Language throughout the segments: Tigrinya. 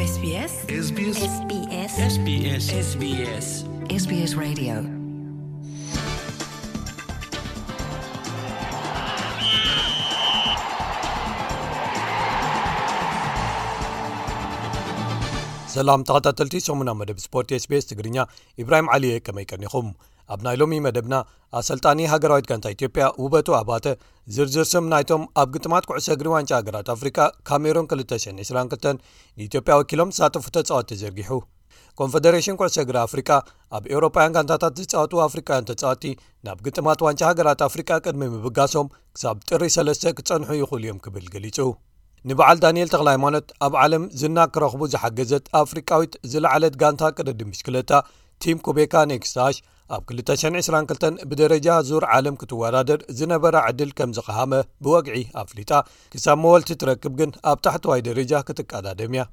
SBS SBS SBS SBS SBS SBS Radio. ሰላም ተኸታተልቲ ሰሙና መደብ ስፖርት SBS ትግርኛ፣ ኢብራሂም ዓሊ እየ። ከመይ ቀኒኹም? ኣብ ናይ ሎሚ መደብና፣ ኣሰልጣኒ ሃገራዊት ጋንታ ኢትዮጵያ ውበቱ ኣባተ ዝርዝር ስም ናይቶም ኣብ ግጥማት ኩዕሶ እግሪ ዋንጫ ሃገራት ኣፍሪቃ ካሜሩን ክልተ ሽሕን ዕስራን ክልተን ንኢትዮጵያ ወኪሎም ዝሳተፉ ተጻወትቲ ዘርጊሑ። ኮንፈደሬሽን ኩዕሶ እግሪ ኣፍሪቃ፣ ኣብ ኤውሮጳውያን ጋንታታት ዝጻወቱ ኣፍሪቃውያን ተጻወትቲ ናብ ግጥማት ዋንጫ ሃገራት ኣፍሪቃ ቅድሚ ምብጋሶም ክሳብ ጥሪ ሰለስተ ክጸንሑ ይኽእሉ እዮም ክብል ገሊጹ። ንበዓል ዳንኤል ተኽለ ሃይማኖት ኣብ ዓለም ዝና ክረኽቡ ዝሓገዘት ኣፍሪቃዊት ዝለዓለት ጋንታ ቅድድም ብሽክለታ ቲም ኩቤካ ኔክስታሽ ኣብ ክልተ ሽሕን ዕስራን ክልተን ብደረጃ ዙር ዓለም ክትወዳደር ዝነበራ ዕድል ከም ዝቐሃመ ብወግዒ ኣፍሊጣ፣ ክሳብ መወልቲ ትረክብ ግን ኣብ ታሕተዋይ ደረጃ ክትቀዳደም እያ።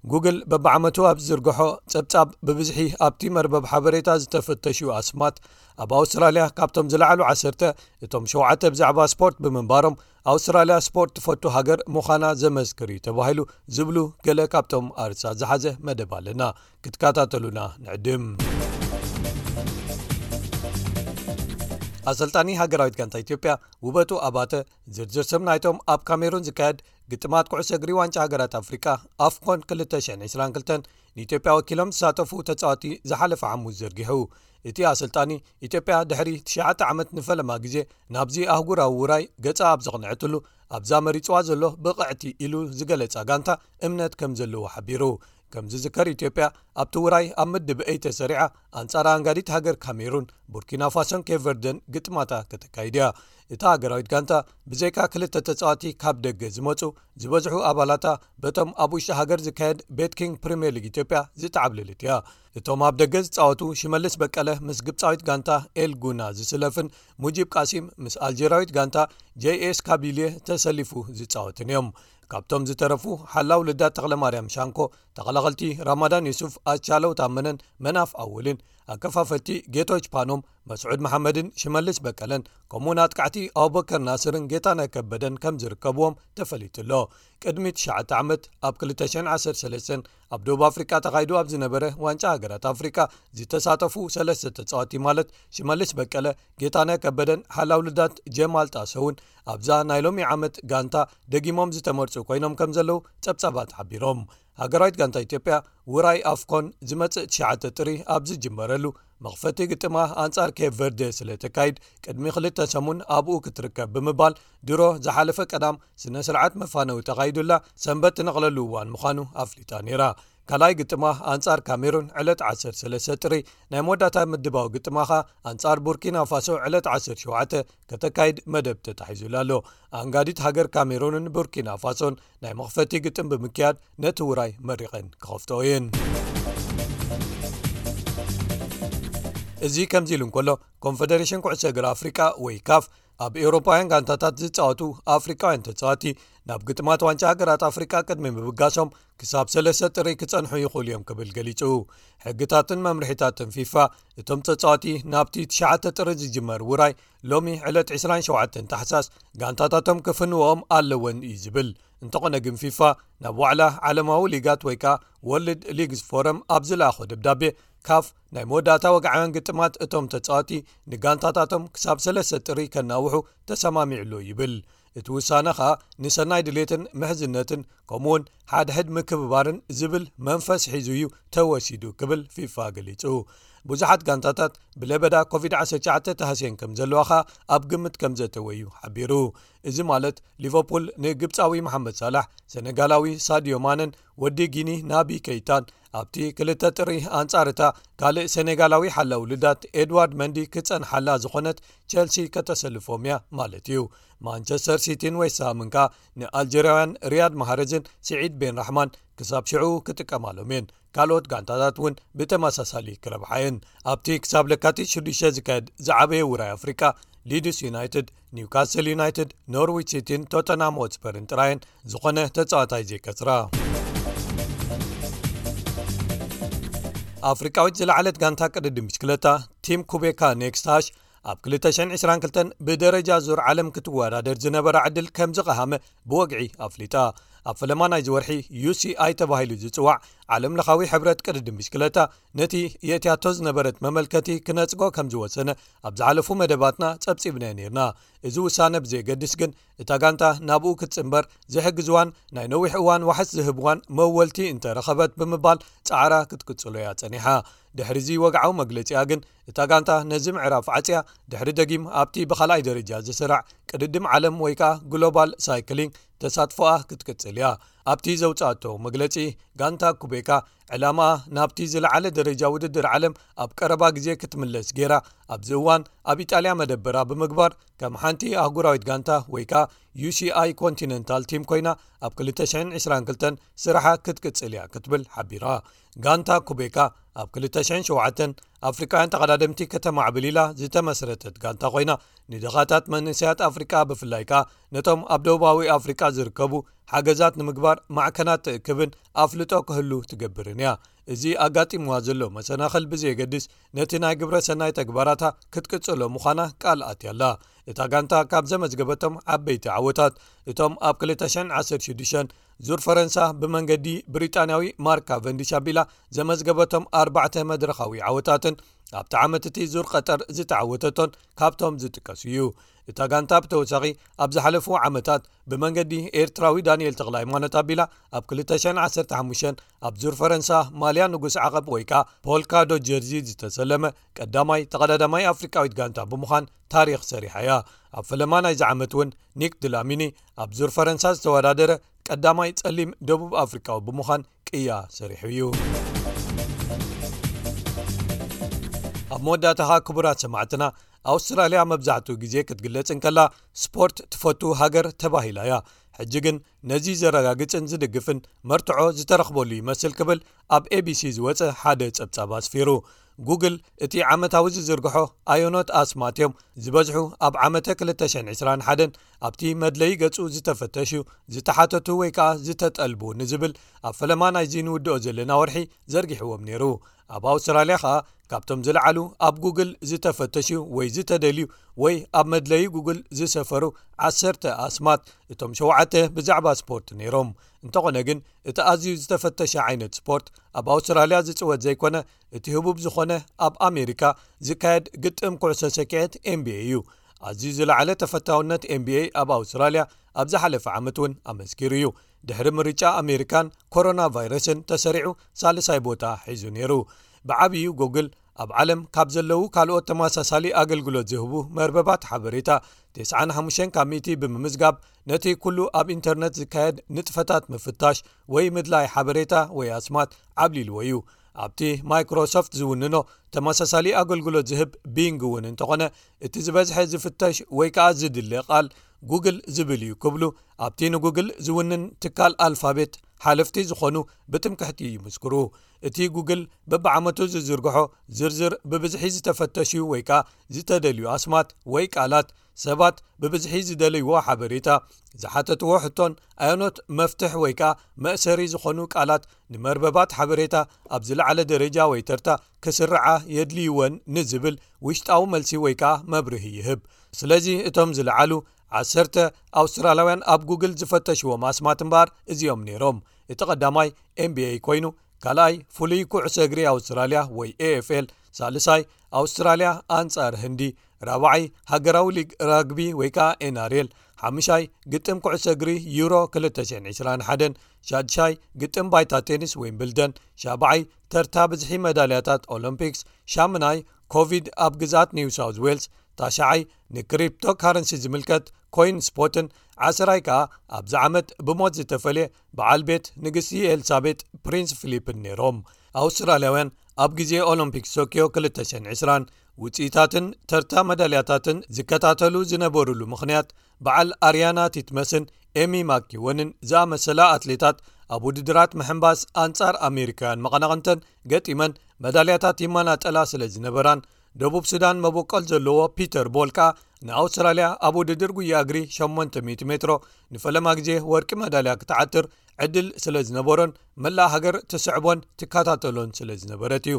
ጉግል በብዓመቱ ኣብ ዝዝርግሖ ጸብጻብ ብብዝሒ ኣብቲ መርበብ ሓበሬታ ዝተፈተሹ ኣስማት ኣብ ኣውስትራልያ ካብቶም ዝለዓሉ ዓሰርተ እቶም ሸውዓተ ብዛዕባ ስፖርት ብምንባሮም ኣውስትራልያ ስፖርት ትፈቱ ሃገር ምዃና ዘመስክር እዩ ተባሂሉ ዝብሉ ገለ ካብቶም ኣርእስታት ዝሓዘ መደብ ኣለና። ክትከታተሉና ንዕድም። ኣሰልጣኒ ሃገራዊት ጋንታ ኢትዮጵያ ውበቱ ኣባተ ዝርዝር ስም ናይቶም ኣብ ካሜሩን ዝካየድ ግጥማት ኩዕሶ እግሪ ዋንጫ ሃገራት ኣፍሪቃ ኣፍኮን ክልተ ሽሕን ዕስራን ክልተን ንኢትዮጵያ ወኪሎም ዝሳተፉ ተጻወቲ ዝሓለፈ ሓሙስ ዘርጊሑ። እቲ ኣሰልጣኒ፣ ኢትዮጵያ ድሕሪ ትሽዓተ ዓመት ንፈለማ ግዜ ናብዚ ኣህጉራዊ ውራይ ገጻ ኣብ ዘቕንዐትሉ ኣብዛ መሪጽዋ ዘሎ ብቕዕቲ ኢሉ ዝገለጻ ጋንታ እምነት ከም ዘለዎ ሓቢሩ። ከም ዝዝከር፣ ኢትዮጵያ ኣብቲ ውራይ ኣብ ምድብ ኤ ተሰሪዓ ኣንጻር ኣንጋዲት ሃገር ካሜሩን፣ ቡርኪና ፋሶን ኬፕ ቨርደን ግጥማታ ከተካይድ እያ። እታ ሃገራዊት ጋንታ ብዘይካ ክልተ ተጻወቲ ካብ ደገ ዝመጹ ዝበዝሑ ኣባላታ በቶም ኣብ ውሽጢ ሃገር ዝካየድ ቤት ኪንግ ፕሪምየር ሊግ ኢትዮጵያ ዝተዓብለለት እያ። እቶም ኣብ ደገ ዝጻወቱ ሽመልስ በቀለ ምስ ግብጻዊት ጋንታ ኤል ጉና ዝስለፍን ሙጂብ ቃሲም ምስ ኣልጀርያዊት ጋንታ ጄ ኤስ ካቢልየ ተሰሊፉ ዝጻወትን እዮም። ካብቶም ዝተረፉ ሓላው ልዳት ተኽለማርያም ሻንኮ፣ ተኸላኸልቲ ራማዳን ዩሱፍ፣ ኣቻለው ታመነን መናፍ ኣወልን፣ ኣከፋፈልቲ ጌቶች ፓኖም፣ መስዑድ መሓመድን ሽመልስ በቀለን፣ ከምኡውን ኣጥቃዕቲ ኣቡበከር ናስርን ጌታነህ ከበደን ከም ዝርከብዎም ተፈሊጡ ኣሎ። ቅድሚ ትሽዓተ ዓመት ኣብ ክልተ ሽሕን ዓሰርተ ሰለስተን ኣብ ደቡብ ኣፍሪቃ ተኻይዱ ኣብ ዝነበረ ዋንጫ ሃገራት ኣፍሪቃ ዝተሳተፉ ሰለስተ ተጻወቲ ማለት ሽመልስ በቀለ፣ ጌታነህ ከበደን ሓላው ልዳት ጀማል ጣሰውን ኣብዛ ናይ ሎሚ ዓመት ጋንታ ደጊሞም ዝተመርጹ ኮይኖም ከም ዘለዉ ጸብጻባት ሓቢሮም። ሃገራዊት ጋንታ ኢትዮጵያ ውራይ ኣፍኮን ዝመጽእ ትሽዓተ ጥሪ ኣብ ዝጅመረሉ መኽፈቲ ግጥማ ኣንጻር ኬፕ ቨርደ ስለ ተካይድ ቅድሚ ክልተ ሰሙን ኣብኡ ክትርከብ ብምባል ድሮ ዝሓለፈ ቀዳም ስነ ስርዓት መፋነዊ ተኻይዱላ ሰንበት ትነቕለሉ እዋን ምዃኑ ኣፍሊጣ ነይራ። ካልኣይ ግጥማ ኣንጻር ካሜሩን ዕለት ዓሰርተ ሰለስተ ጥሪ፣ ናይ መወዳእታ ምድባዊ ግጥማ ኸኣ ኣንጻር ቡርኪና ፋሶ ዕለት ዓሰርተ ሸውዓተ ከተካይድ መደብ ተታሒዙላ ኣሎ። ኣንጋዲት ሃገር ካሜሩንን ቡርኪና ፋሶን ናይ መኽፈቲ ግጥም ብምክያድ ነቲ ውራይ መሪቐን ክኸፍትኦ እየን። እዚ ከምዚ ኢሉ እንከሎ፣ ኮንፈደሬሽን ኩዕሶ እግሪ ኣፍሪቃ ወይ ካፍ ኣብ ኤውሮፓውያን ጋንታታት ዝጻወቱ ኣፍሪቃውያን ተጻወቲ ናብ ግጥማት ዋንጫ ሃገራት ኣፍሪቃ ቅድሚ ምብጋሶም ክሳብ ሰለስተ ጥሪ ክጸንሑ ይኽእሉ እዮም ክብል ገሊጹ። ሕግታትን መምርሒታትን ፊፋ እቶም ተጻወቲ ናብቲ ትሽዓተ ጥሪ ዝጅመር ውራይ ሎሚ ዕለት ዕስራን ሸውዓተን ታሕሳስ ጋንታታቶም ክፍንዎም ኣለወን እዩ ዝብል። እንተኾነ ግን ፊፋ ናብ ዋዕላ ዓለማዊ ሊጋት ወይ ከኣ ወርልድ ሊግስ ፎረም ኣብ ዝለኣኾ ደብዳቤ ካፍ ናይ መወዳእታ ወግዓውያን ግጥማት እቶም ተጻወቲ ንጋንታታቶም ክሳብ ሰለስተ ጥሪ ከናውሑ ተሰማሚዑ ኣሎ ይብል። እቲ ውሳነ ኸኣ ንሰናይ ድሌትን ምሕዝነትን ከምኡውን ሓድሕድ ምክብባርን ዝብል መንፈስ ሒዙ እዩ ተወሲዱ ክብል ፊፋ ገሊጹ። ብዙሓት ጋንታታት ብለበዳ ኮቪድ ዓሰርተ ትሽዓተ ተሃስየን ከም ዘለዋ ኸኣ ኣብ ግምት ከም ዘእተወ እዩ ሓቢሩ። እዚ ማለት ሊቨርፑል ንግብጻዊ መሓመድ ሳላሕ፣ ሰነጋላዊ ሳድዮ ማነን ወዲ ጊኒ ናቢ ከይታን ኣብቲ ክልተ ጥሪ ኣንጻር እታ ካልእ ሰኔጋላዊ ሓላው ልዳት ኤድዋርድ መንዲ ክጸንሓላ ዝኾነት ቸልሲ ከተሰልፎም እያ ማለት እዩ። ማንቸስተር ሲቲን ዌስትሃምን ከኣ ንኣልጀርያውያን ሪያድ ማህረዝን ስዒድ ቤን ራሕማን ክሳብ ሽዑ ክጥቀማሎም እየን። ካልኦት ጋንታታት እውን ብተመሳሳሊ ክረብሓ እየን። ኣብቲ ክሳብ ለካቲት ሽዱሽተ ዝካየድ ዝዓበየ ውራይ ኣፍሪቃ፣ ሊድስ ዩናይትድ፣ ኒውካስል ዩናይትድ፣ ኖርዊች ሲቲን ቶተንሃም ሆትስፐርን ጥራየን ዝኾነ ተጻዋታይ ዘይከስራ። ኣፍሪቃዊት ዝለዓለት ጋንታ ቅድድም ብሽክለታ ቲም ኩቤካ ኔክስታሽ ኣብ ክልተ ሽሕን ዕስራን ክልተን ብደረጃ ዙር ዓለም ክትወዳደር ዝነበራ ዕድል ከም ዝቐሃመ ብወግዒ ኣፍሊጣ። ኣብ ፈለማ ናይዚ ወርሒ ዩ ሲ ኣይ ተባሂሉ ዝጽዋዕ ዓለም ለኻዊ ሕብረት ቅድድም ብሽክለታ ነቲ የእትያቶ ዝነበረት መመልከቲ ክነጽጎ ከም ዝወሰነ ኣብ ዝሓለፉ መደባትና ጸብጺብናዮ ነይርና። እዚ ውሳነ ብዘየገድስ ግን እታ ጋንታ ናብኡ ክትጽንበር ዝሕግዝዋን ናይ ነዊሕ እዋን ዋሕስ ዝህብዋን መወልቲ እንተረኸበት ብምባል ጻዕራ ክትቅጽሎ እያ ጸኒሓ። ድሕሪ እዚ ወግዓዊ መግለጺኣ ግን እታ ጋንታ ነዚ ምዕራፍ ዓጽያ ድሕሪ ደጊም ኣብቲ ብኻልኣይ ደረጃ ዝስራዕ ቅድድም ዓለም ወይ ከኣ ግሎባል ሳይክሊንግ ተሳትፎኣ ክትቅጽል እያ። ኣብቲ ዘውጻእቶ መግለጺ ጋንታ ኩቤካ ዕላማኣ ናብቲ ዝለዓለ ደረጃ ውድድር ዓለም ኣብ ቀረባ ግዜ ክትምለስ ገይራ ኣብዚ እዋን ኣብ ኢጣልያ መደበራ ብምግባር ከም ሓንቲ ኣህጉራዊት ጋንታ ወይ ከኣ ዩ ሲ ኣይ ኮንቲነንታል ቲም ኮይና ኣብ ክልተ ሽሕን ዕስራን ክልተን ስራሓ ክትቅጽል እያ ክትብል ሓቢራ። ጋንታ ኩቤካ ኣብ ክልተ ሽሕን ሸውዓተን ኣፍሪቃውያን ተቐዳደምቲ ከተማዕብል ኢላ ዝተመስረተት ጋንታ ኮይና ንድኻታት መንእሰያት ኣፍሪቃ ብፍላይ ከኣ ነቶም ኣብ ደቡባዊ ኣፍሪቃ ዝርከቡ ሓገዛት ንምግባር ማዕከናት ትእክብን ኣፍልጦ ክህሉ ትገብርን እያ። እዚ ኣጋጢምዋ ዘሎ መሰናኽል ብዘየገድስ ነቲ ናይ ግብረ ሰናይ ተግባራታ ክትቅጽሎ ምዃና ቃል ኣትያ ኣላ። እታ ጋንታ ካብ ዘመዝገበቶም ዓበይቲ ዓወታት እቶም ኣብ ክልተ ሽሕን ዓሰርተ ሽዱሽተን ዙር ፈረንሳ ብመንገዲ ብሪጣንያዊ ማርክ ካቨንዲሽ ኣቢላ ዘመዝገበቶም ኣርባዕተ መድረኻዊ ዓወታትን ኣብቲ ዓመት እቲ ዙር ቀጠር ዝተዓወተቶን ካብቶም ዝጥቀሱ እዩ። እታ ጋንታ ብተወሳኺ ኣብ ዝሓለፉ ዓመታት ብመንገዲ ኤርትራዊ ዳንኤል ተኽለ ሃይማኖት ኣቢላ ኣብ ክልተ ሽሕን ዓሰርተ ሓሙሽተን ኣብ ዙር ፈረንሳ ማልያ ንጉስ ዓቐብ ወይ ከኣ ፖልካ ዶት ጀርዚ ዝተሰለመ ቀዳማይ ተቐዳዳማይ ኣፍሪቃዊት ጋንታ ብምዃን ታሪኽ ሰሪሓ እያ። ኣብ ፈለማ ናይዚ ዓመት እውን ኒክ ድላሚኒ ኣብ ዙር ፈረንሳ ዝተወዳደረ ቀዳማይ ጸሊም ደቡብ ኣፍሪቃዊ ብምዃን ቅያ ሰሪሑ እዩ። ኣብ መወዳእታ ኸኣ ክቡራት ሰማዕትና ኣውስትራልያ መብዛሕትኡ ግዜ ክትግለጽ እንከላ ስፖርት ትፈቱ ሃገር ተባሂላ እያ። ሕጂ ግን ነዚ ዘረጋግጽን ዝድግፍን መርትዖ ዝተረኽበሉ ይመስል ክብል ኣብ ኤ ቢ ሲ ዝወጸ ሓደ ጸብጻብ ኣስፊሩ። ጉግል እቲ ዓመታዊ ዝዝርግሖ ኣየኖት ኣስማት እዮም ዝበዝሑ ኣብ ዓመተ ክልተ ሽሕን ዕስራን ሓደን ኣብቲ መድለዪ ገጹ ዝተፈተሹ፣ ዝተሓተቱ ወይ ከኣ ዝተጠልቡ ንዝብል ኣብ ፈለማ ናይዚ ንውድኦ ዘለና ወርሒ ዘርጊሕዎም ነይሩ። ኣብ ኣውስትራልያ ከኣ ካብቶም ዝለዓሉ ኣብ ጉግል ዝተፈተሹ ወይ ዝተደልዩ ወይ ኣብ መድለዪ ጉግል ዝሰፈሩ ዓሰርተ ኣስማት እቶም ሸውዓተ ብዛዕባ ስፖርት ነይሮም። እንተኾነ ግን እቲ ኣዝዩ ዝተፈተሸ ዓይነት ስፖርት ኣብ ኣውስትራልያ ዝጽወት ዘይኮነ እቲ ህቡብ ዝኾነ ኣብ ኣሜሪካ ዝካየድ ግጥም ኩዕሶ ሰኪዐት ኤን ቢ ኤ እዩ። ኣዝዩ ዝለዓለ ተፈታውነት ኤን ቢ ኤ ኣብ ኣውስትራልያ ኣብ ዝሓለፈ ዓመት እውን ኣመስኪሩ እዩ። ድሕሪ ምርጫ ኣሜሪካን ኮሮና ቫይረስን ተሰሪዑ ሳልሳይ ቦታ ሒዙ ነይሩ። ብዓብዩ ጉግል ኣብ ዓለም ካብ ዘለዉ ካልኦት ተመሳሳሊ ኣገልግሎት ዝህቡ መርበባት ሓበሬታ ተስዓን ሓሙሽተን ካብ ሚእቲ ብምምዝጋብ ነቲ ኩሉ ኣብ ኢንተርነት ዝካየድ ንጥፈታት ምፍታሽ ወይ ምድላይ ሓበሬታ ወይ ኣስማት ዓብሊልዎ እዩ። ኣብቲ ማይክሮሶፍት ዝውንኖ ተመሳሳሊ ኣገልግሎት ዝህብ ቢንግ እውን እንተኾነ እቲ ዝበዝሐ ዝፍተሽ ወይ ከኣ ዝድለ ቃል ጉግል ዝብል እዩ ክብሉ ኣብቲ ንጉግል ዝውንን ትካል ኣልፋቤት ሓለፍቲ ዝኾኑ ብትምክሕቲ ይምስክሩ። እቲ ጉግል በብዓመቱ ዝዝርግሖ ዝርዝር ብብዝሒ ዝተፈተሹ ወይ ከኣ ዝተደልዩ ኣስማት ወይ ቃላት ሰባት ብብዝሒ ዝደለይዎ ሓበሬታ ዝሓተትዎ ሕቶን ኣየኖት መፍትሕ ወይ ከኣ መእሰሪ ዝኾኑ ቃላት ንመርበባት ሓበሬታ ኣብ ዝለዓለ ደረጃ ወይ ተርታ ክስርዓ የድልይወን ንዝብል ውሽጣዊ መልሲ ወይ ከኣ መብርሂ ይህብ። ስለዚ እቶም ዝለዓሉ ዓሰርተ ኣውስትራልያውያን ኣብ ጉግል ዝፈተሽዎም ኣስማት እምበኣር እዚኦም ነይሮም። እቲ ቀዳማይ ኤን ቢ ኤ ኮይኑ ካልኣይ ፍሉይ ኩዕሶ እግሪ ኣውስትራልያ ወይ ኤ ኤፍ ኤል፣ ሳልሳይ ኣውስትራልያ ኣንጻር ህንዲ፣ ራብዓይ ሃገራዊ ሊግ ራግቢ ወይ ከኣ ኤን ኣር ኤል፣ ሓምሻይ ግጥም ኩዕሶ እግሪ ዩሮ ክልተ ሽሕን ዕስራን ሓደን፣ ሻድሻይ ግጥም ባይታ ቴኒስ ዊምብልደን፣ ሻብዓይ ተርታ ብዝሒ መዳልያታት ኦሎምፒክስ፣ ሻምናይ ኮቪድ ኣብ ግዝኣት ኒው ሳውዝ ዌልስ፣ ታሽዓይ ንክሪፕቶ ካረንሲ ዝምልከት ኮይን ስፖትን ዓስራይ ከኣ ኣብዚ ዓመት ብሞት ዝተፈልየ በዓል ቤት ንግስቲ ኤልሳቤጥ ፕሪንስ ፊሊፕን ነይሮም። ኣውስትራልያውያን ኣብ ግዜ ኦሎምፒክ ቶኪዮ ክልተ ሽሕን ዕስራን ውጽኢታትን ተርታ መዳልያታትን ዝከታተሉ ዝነበሩሉ ምኽንያት በዓል ኣርያና ቲትመስን ኤሚ ማኪወንን ዝኣመሰላ ኣትሌታት ኣብ ውድድራት ምሕንባስ ኣንጻር ኣሜሪካውያን መቐናቕንተን ገጢመን መዳልያታት ይመናጠላ ስለ ዝነበራን ደቡብ ሱዳን መበቆል ዘለዎ ፒተር ቦል ከኣ ንኣውስትራልያ ኣብ ውድድር ጉያ እግሪ ሸሞንተ ሚእቲ ሜትሮ ንፈለማ ግዜ ወርቂ መዳልያ ክትዓትር ዕድል ስለ ዝነበሮን መላእ ሃገር ትስዕቦን ትከታተሎን ስለ ዝነበረት እዩ።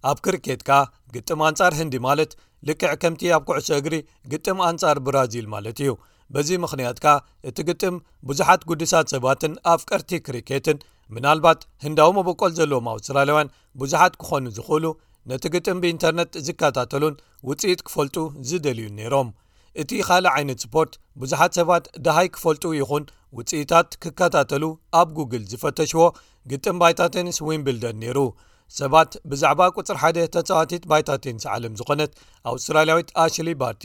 ኣብ ክሪኬት ከኣ ግጥም ኣንጻር ህንዲ ማለት ልክዕ ከምቲ ኣብ ኩዕሶ እግሪ ግጥም ኣንጻር ብራዚል ማለት እዩ። በዚ ምኽንያት ከኣ እቲ ግጥም ብዙሓት ግዱሳት ሰባትን ኣፍቀርቲ ክሪኬትን፣ ምናልባት ህንዳዊ መበቆል ዘለዎም ኣውስትራልያውያን ብዙሓት ክኾኑ ዝኽእሉ፣ ነቲ ግጥም ብኢንተርነት ዝከታተሉን ውጽኢት ክፈልጡ ዝደልዩን ነይሮም። እቲ ካልእ ዓይነት ስፖርት ብዙሓት ሰባት ደሃይ ክፈልጡ ይኹን ውጽኢታት ክከታተሉ ኣብ ጉግል ዝፈተሽዎ ግጥም ባይታ ቴኒስ ዊምብልደን ነይሩ። ሰባት ብዛዕባ ቁጽሪ ሓደ ተጻዋቲት ባይታ ቴኒስ ዓለም ዝኾነት ኣውስትራልያዊት ኣሽሊ ባርቲ፣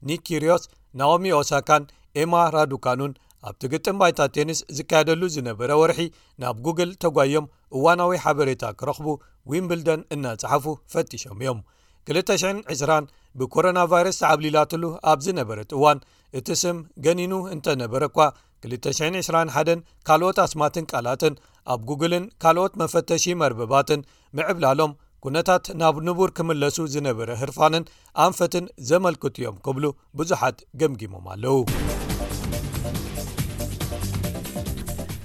ኒክ ኪርዮስ፣ ናኦሚ ኦሳካን ኤማ ራዱካኑን ኣብቲ ግጥም ባይታ ቴኒስ ዝካየደሉ ዝነበረ ወርሒ ናብ ጉግል ተጓዮም እዋናዊ ሓበሬታ ክረኽቡ ዊምብልደን እናጸሓፉ ፈቲሾም እዮም። ክልተ ሽሕን ዕስራን ብኮሮና ቫይረስ ተዓብሊላትሉ ኣብ ዝነበረት እዋን፣ እቲ ስም ገኒኑ እንተነበረ እኳ፣ ክልተ ሽሕን ዕስራን ሓደን ካልኦት ኣስማትን ቃላትን ኣብ ጉግልን ካልኦት መፈተሺ መርበባትን ምዕብላሎም፣ ኩነታት ናብ ንቡር ክምለሱ ዝነበረ ህርፋንን ኣንፈትን ዘመልክቱ እዮም ክብሉ ብዙሓት ገምጊሞም ኣለዉ።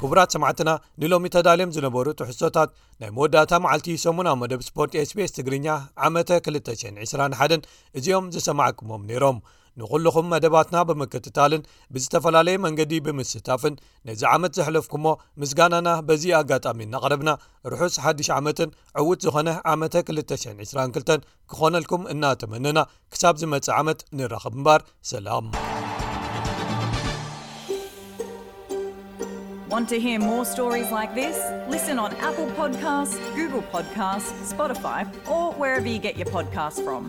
ክቡራት ሰማዕትና፣ ንሎሚ ተዳልዮም ዝነበሩ ትሕዝቶታት ናይ መወዳእታ መዓልቲ ሰሙናዊ መደብ ስፖርት ኤስቢኤስ ትግርኛ ዓመተ ክልተ ሽሕን ዕስራን ሓደን እዚኦም ዝሰማዕኩሞም ነይሮም። ንኹልኹም መደባትና ብምክትታልን ብዝተፈላለየ መንገዲ ብምስታፍን ነዚ ዓመት ዘሕለፍኩሞ ምስጋናና በዚ ኣጋጣሚ እናቕረብና፣ ርሑስ ሓድሽ ዓመትን ዕዉት ዝኾነ ዓመተ ክልተ ሽሕን ዕስራን ክልተን ክኾነልኩም እናተመነና፣ ክሳብ ዝመጽእ ዓመት ንራኸብ እምበር፣ ሰላም። Want to hear more stories like this? Listen on Apple Podcasts, Google Podcasts, Spotify, or wherever you get your podcasts from.